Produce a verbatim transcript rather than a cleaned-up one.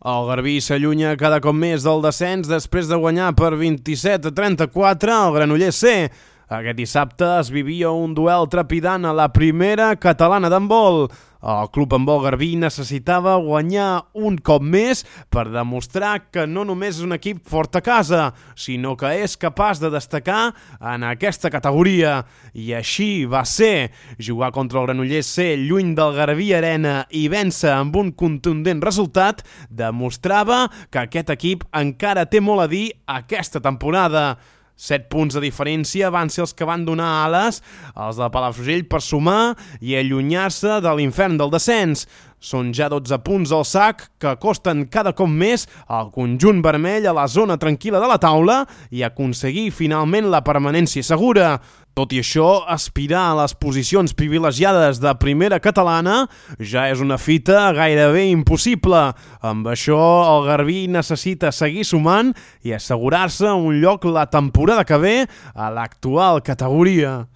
El Garbí s'allunya cada cop més del descens després de guanyar per vint-i-set a trenta-quatre al Granollers C. Aquest dissabte es vivia un duel trepidant a la primera catalana d'handbol. El Club Handbol Garbí necessitava guanyar un cop més per demostrar que no només és un equip fort a casa, sinó que és capaç de destacar en aquesta categoria. I així va ser. Jugar contra el Granollers C lluny del Garbí Arena i vèncer amb un contundent resultat demostrava que aquest equip encara té molt a dir aquesta temporada. Set punts de diferència van ser els que van donar ales als de Palafrugell per sumar i allunyar-se de l'infern del descens. Són ja dotze punts al sac que costen cada cop més al conjunt vermell a la zona tranquil·la de la taula i aconseguir finalment la permanència segura. Tot i això, aspirar a les posicions privilegiades de primera catalana ja és una fita gairebé impossible. Amb això, el Garbí necessita seguir sumant i assegurar-se un lloc la temporada que ve a l'actual categoria.